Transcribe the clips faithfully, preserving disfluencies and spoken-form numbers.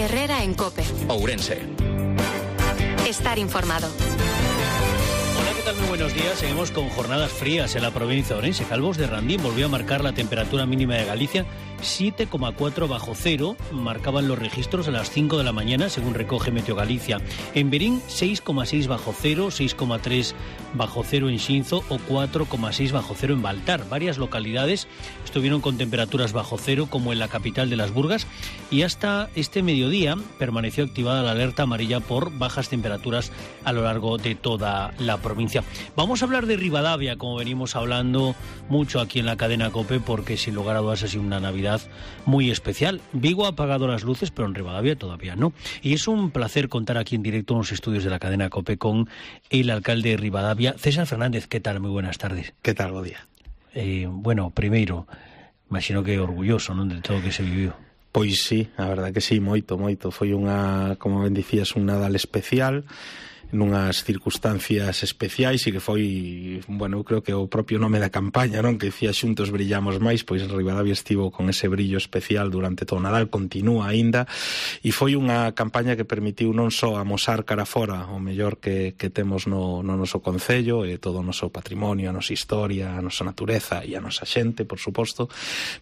Herrera en COPE. Ourense. Estar informado. Hola, ¿qué tal? Muy buenos días. Seguimos con jornadas frías en la provincia de Ourense. Calvos de Randín volvió a marcar la temperatura mínima de Galicia, siete coma cuatro bajo cero, marcaban los registros a las cinco de la mañana, según recoge Meteo Galicia. En Verín, seis coma seis bajo cero, seis coma tres bajo cero en Xinzo o cuatro coma seis bajo cero en Baltar. Varias localidades estuvieron con temperaturas bajo cero, como en la capital de Las Burgas, y hasta este mediodía permaneció activada la alerta amarilla por bajas temperaturas a lo largo de toda la provincia. Vamos a hablar de Ribadavia, como venimos hablando mucho aquí en la cadena COPE, porque sin lugar a dudas ha sido una Navidad muy especial. Vigo ha apagado las luces, pero en Ribadavia todavía no. Y es un placer contar aquí en directo en los estudios de la cadena COPE con el alcalde de Ribadavia, César Fernández. ¿Qué tal? Muy buenas tardes. ¿Qué tal, bo día? Eh, bueno, primeiro, imagino que orgulloso, non, de todo o que se viviu. Pois sí, a verdade que sí, moito, moito. Foi unha, como ben dicías, un Nadal especial, nunhas circunstancias especiais, e que foi, bueno, eu creo que o propio nome da campaña, non, que dicía Xuntos brillamos máis, pois Ribadavia estivo con ese brillo especial durante todo o Nadal, continúa aínda, e foi unha campaña que permitiu non só amosar cara fora o mellor que, que temos no, no noso concello, e todo o noso patrimonio, a nosa historia, a nosa natureza e a nosa xente, por suposto,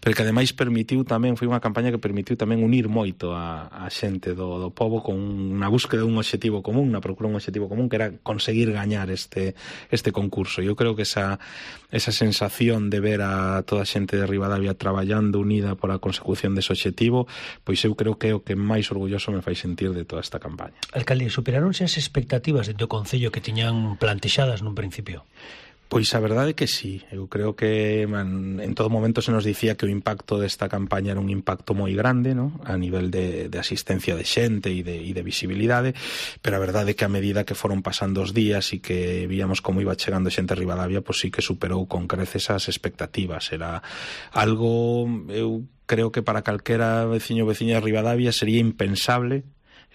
pero que ademais permitiu tamén, foi unha campaña que permitiu tamén unir moito a, a xente do, do pobo con unha búsqueda dun obxectivo común, na procura dun obxectivo común, que era conseguir gañar este este concurso. Eu creo que esa esa sensación de ver a toda a xente de Ribadavia traballando unida por a consecución dese obxectivo, pois eu creo que é o que máis orgulloso me fai sentir de toda esta campaña. Alcalde, superaronse as expectativas dentro do concello que tiñan plantexadas nun principio? Pois a verdade é que sí, eu creo que man, en todo momento se nos dicía que o impacto desta campaña era un impacto moi grande, ¿no?, a nivel de, de asistencia de xente e de, e de visibilidade, pero a verdade é que a medida que foron pasando os días e que víamos como iba chegando xente a Ribadavia, pois sí que superou con creces as expectativas. Era algo, eu creo que para calquera veciño ou veciña de Ribadavia sería impensable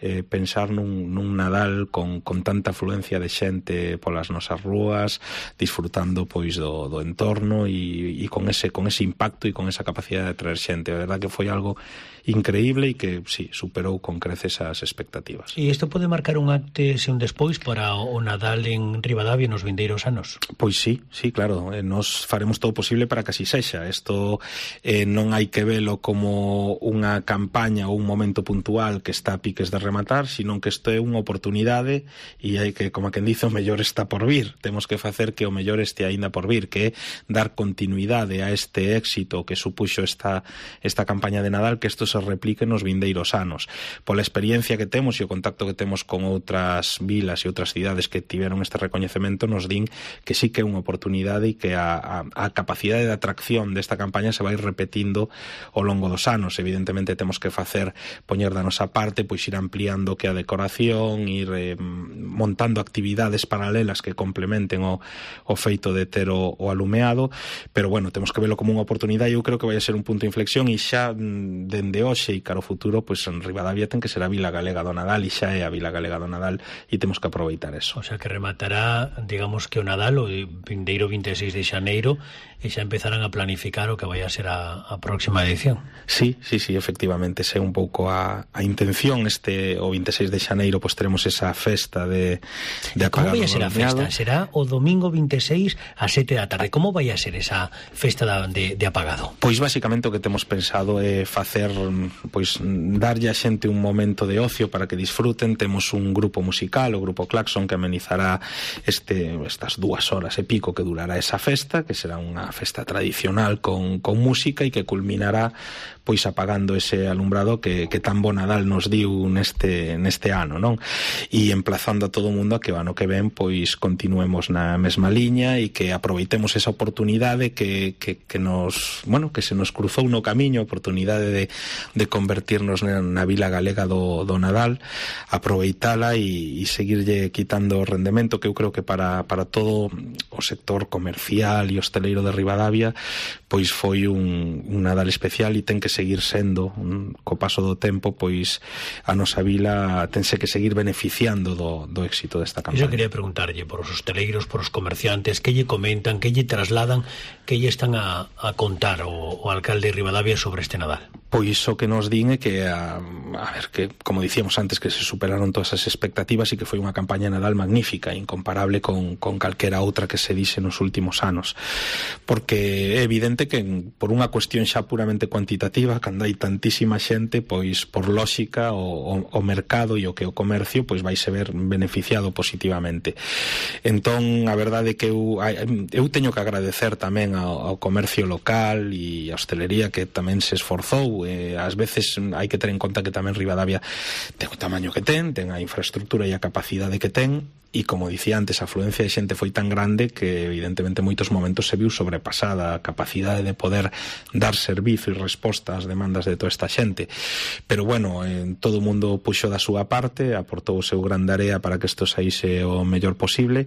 Eh, pensar nun, nun Nadal con, con tanta afluencia de xente polas nosas rúas, disfrutando pois do, do entorno e, e con ese con ese impacto e con esa capacidade de traer xente. A verdade que foi algo increíble e que, sí, superou con creces as expectativas. E isto pode marcar un antes e un despois para o Nadal en Ribadavia nos vindeiros anos? Pois sí, sí, claro, eh, nos faremos todo posible para que así sexa. Isto eh, non hai que velo como unha campaña ou un momento puntual que está a piques de rematar, sino que isto é unha oportunidade e hai que, como quen dice, o mellor está por vir. Temos que facer que o mellor este aínda por vir, que é dar continuidade a este éxito que supuxo esta, esta campaña de Nadal, que isto se replique nos vindeiros anos. Pola experiencia que temos e o contacto que temos con outras vilas e outras cidades que tiveron este recoñecemento, nos din que sí que é unha oportunidade e que a, a, a capacidade de atracción desta campaña se vai repetindo ao longo dos anos. Evidentemente temos que facer, poñer da nosa parte, pois ir ampliando que a decoración, ir eh, montando actividades paralelas que complementen o, o feito de ter o, o alumeado, pero bueno, temos que velo como unha oportunidade e eu creo que vai a ser un punto de inflexión, e xa dende hoxe e cara ao futuro, pois en Ribadavia ten que ser a Vila Galega do Nadal, e xa é a Vila Galega do Nadal, e temos que aproveitar eso. O sea, que rematará, digamos, que o Nadal o vindeiro vinte e seis de xaneiro, e xa empezarán a planificar o que vai a ser a, a próxima edición. Sí, sí, sí, efectivamente, é un pouco a, a intención. Este o vinte e seis de xaneiro pois teremos esa festa de, de Como vai a ser a festa? Será o domingo vinte e seis a sete da tarde. Como vai a ser esa festa de, de apagado? Pois basicamente o que temos pensado é facer, pois darlle a xente un momento de ocio para que disfruten. Temos un grupo musical, o Grupo Claxon, que amenizará este, estas dúas horas e pico que durará esa festa, que será unha festa tradicional con, con música e que culminará pois apagando ese alumbrado que, que tan bo Nadal nos diu neste, neste ano, non? E emplazando a todo o mundo a que o ano que ven pois continuemos na mesma liña e que aproveitemos esa oportunidade que, que, que nos, bueno, que se nos cruzou no camiño, a oportunidade de, de convertirnos na, na Vila Galega do, do Nadal, aproveitala e, e seguirlle quitando o rendemento, que eu creo que para, para todo o sector comercial e hosteleiro de Ribadavia pois foi un, un Nadal especial, e ten que seguir sendo, un, co paso do tempo, pois a nosa vila tense que seguir beneficiando do, do éxito desta campaña. Iso quería preguntarlle por os hosteleiros, por os comerciantes, que lle comentan, que lle trasladan, que lle están a, a contar o, o alcalde de Ribadavia sobre este Nadal. pois o que nos din é que a, a ver, que como dicíamos antes, que se superaron todas as expectativas e que foi unha campaña Nadal magnífica, incomparable con, con calquera outra que se dixe nos últimos anos, porque é evidente que por unha cuestión xa puramente cuantitativa, cando hai tantísima xente, pois por lógica o, o, o mercado e o que o comercio pois vai se ver beneficiado positivamente. Entón a verdade é que eu, eu teño que agradecer tamén ao, ao comercio local e a hostelería que tamén se esforzou. Eh, ás veces hai que ter en conta que tamén Ribadavia ten o tamaño que ten, ten a infraestructura e a capacidade que ten, e como dicía antes, a afluencia de xente foi tan grande que evidentemente en moitos momentos se viu sobrepasada a capacidade de poder dar servizo e resposta ás demandas de toda esta xente. Pero bueno, eh, todo o mundo puxo da súa parte, aportou o seu gran area para que isto saíse o mellor posible,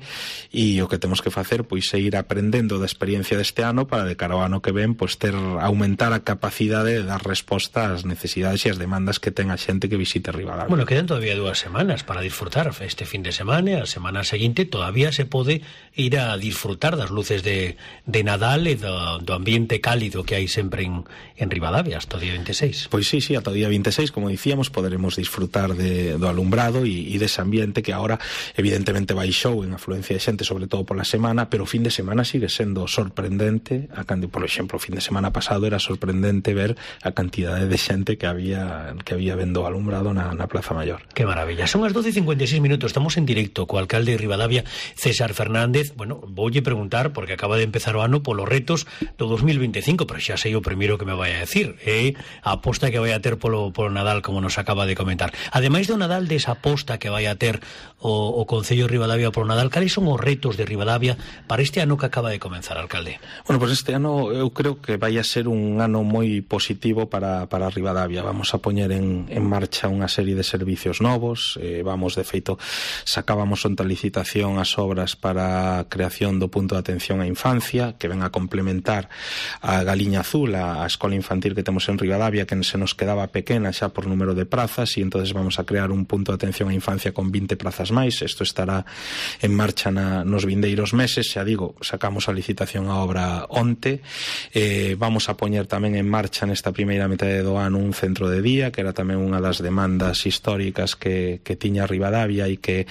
e o que temos que facer pois é ir aprendendo da experiencia deste ano para de cara ao ano que ven pois ter aumentar a capacidade de dar resposta ás necesidades e ás demandas que ten a xente que visite Ribadavia. Bueno, quedan todavía dúas semanas para disfrutar este fin de semana, a semana seguinte todavía se pode ir a disfrutar das luces de, de Nadal e do, do ambiente cálido que hai sempre en, en Ribadavia hasta o día veintiséis. Pois sí, sí, hasta o día veintiséis, como dicíamos, poderemos disfrutar de, do alumbrado e, e dese ambiente que agora evidentemente baixou en afluencia de xente, sobre todo pola semana, pero o fin de semana sigue sendo sorprendente. A, por exemplo, o fin de semana pasado era sorprendente ver a cantidade de xente que había que había vendo alumbrado na, na Plaza Maior. Que maravilla. Son as doce e cincuenta e seis minutos, estamos en directo co alcalde de Ribadavia, César Fernández. Bueno, voulle preguntar, porque acaba de empezar o ano, polos retos do dos mil veinticinco, pero xa sei o primeiro que me vai a decir, é a aposta que vai a ter polo, polo Nadal, como nos acaba de comentar. Ademais do Nadal, desa aposta que vai a ter o, o Concello de Ribadavia polo Nadal, cales son os retos de Ribadavia para este ano que acaba de comenzar, alcalde? Bueno, pues este ano eu creo que vai a ser un ano moi positivo para, para Ribadavia. Vamos a poñer en, en marcha unha serie de servicios novos, eh, vamos, de feito, sacábamos onta licitación as obras para a creación do punto de atención á infancia, que ven a complementar a Galiña Azul, a, a escola infantil que temos en Ribadavia, que se nos quedaba pequena xa por número de prazas, e entonces vamos a crear un punto de atención á infancia con vinte prazas máis. Isto estará en marcha na, nos vindeiros meses. Xa digo, sacamos a licitación a obra onte. Eh, vamos a poñer tamén en marcha nesta primeira metade do ano un centro de día, que era tamén unha das demandas históricas que, que tiña Ribadavia e que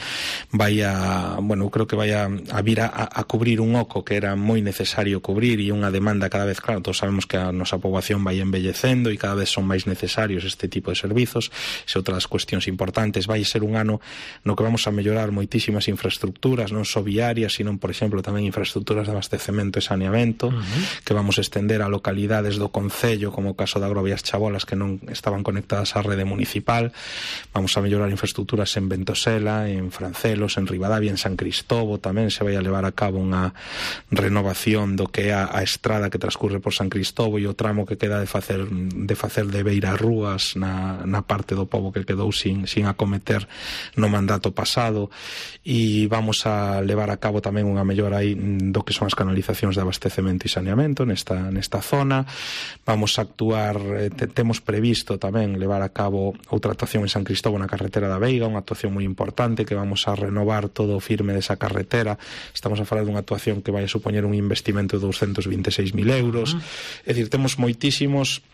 vai a, bueno, creo que vai a, a vir a, a cubrir un oco que era moi necesario cubrir, e unha demanda cada vez, claro, todos sabemos que a nosa poboación vai envellecendo e cada vez son máis necesarios este tipo de servizos. Se outras cuestións importantes, vai ser un ano no que vamos a mellorar moitísimas infraestructuras, non só viarias, sino, por exemplo, tamén infraestructuras de abastecemento e saneamento, uh-huh. que vamos a estender a localidades do Concello, como o caso de Agrovías Chabolas, que non estaban conectadas á rede municipal. Vamos a mellorar infraestructuras en Ventosela, en Francelos, en Ribadavia, en San Cristóbo. Tamén se vai a levar a cabo unha renovación do que é a, a estrada que transcurre por San Cristóbo e o tramo que queda de facer de facer de Beira Rúas na, na parte do pobo que quedou sin, sin acometer no mandato pasado. E vamos a levar a cabo tamén unha mellora aí do que son as canalizacións de abastecemento e saneamento nesta, nesta zona. Vamos a actuar, eh, te, temos previsto tamén levar a cabo outra actuación en San Cristóbo na carretera da Veiga, unha actuación moi importante, que vamos a renovar todo o firme desa carretera. Estamos a falar dunha actuación que vai a supoñer un investimento de doscientos veintiséis mil euros. Uh-huh. É dicir, temos moitísimos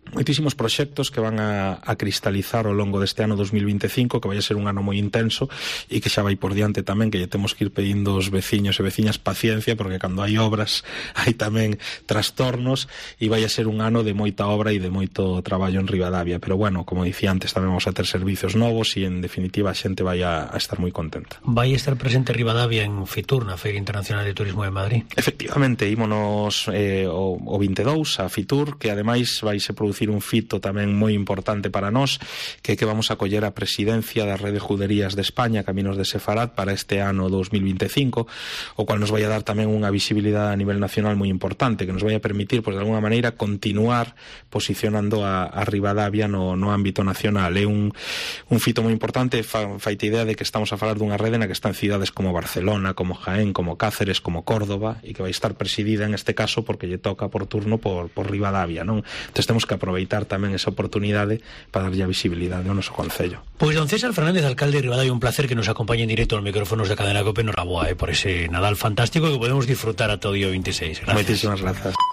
moitísimos proxectos que van a, a cristalizar ao longo deste ano dos mil veinticinco, que vai a ser un ano moi intenso e que xa vai por diante tamén, que lle temos que ir pedindo aos veciños e veciñas paciencia, porque cando hai obras hai tamén trastornos, e vai a ser un ano de moita obra e de moito traballo en Ribadavia. Pero bueno, como dicía antes, tamén vamos a ter servicios novos e en definitiva a xente vai a, a estar moi contenta. Vai estar presente Ribadavia en Fitur, na Feira Internacional de Turismo de Madrid? Efectivamente, ímonos eh, o, o veintidós a Fitur, que ademais vai se producir un fito tamén moi importante para nós, que é que vamos a coller a presidencia da Rede Juderías de España, Caminos de Sefarad, para este ano dos mil veinticinco, o cual nos vai a dar tamén unha visibilidade a nivel nacional moi importante, que nos vai a permitir, pues, de alguna maneira, continuar posicionando a, a Ribadavia no, no ámbito nacional. É un, un fito moi importante, fa, faite idea de que estamos a falar dunha rede na que están cidades como Barcelona, como Jaén, como Cáceres, como Córdoba, e que vai estar presidida en este caso porque lle toca por turno por, por Ribadavia, non? Entón temos que aproveitar tamén esa oportunidade para darlle a visibilidade ao noso concello. Pois don César Fernández, alcalde de Ribadavia, un placer que nos acompañe en directo aos micrófonos de Cadena COPE. Nos raboa, eh, por ese Nadal fantástico que podemos disfrutar a todo o día veintiséis. Gracias. Moitísimas grazas.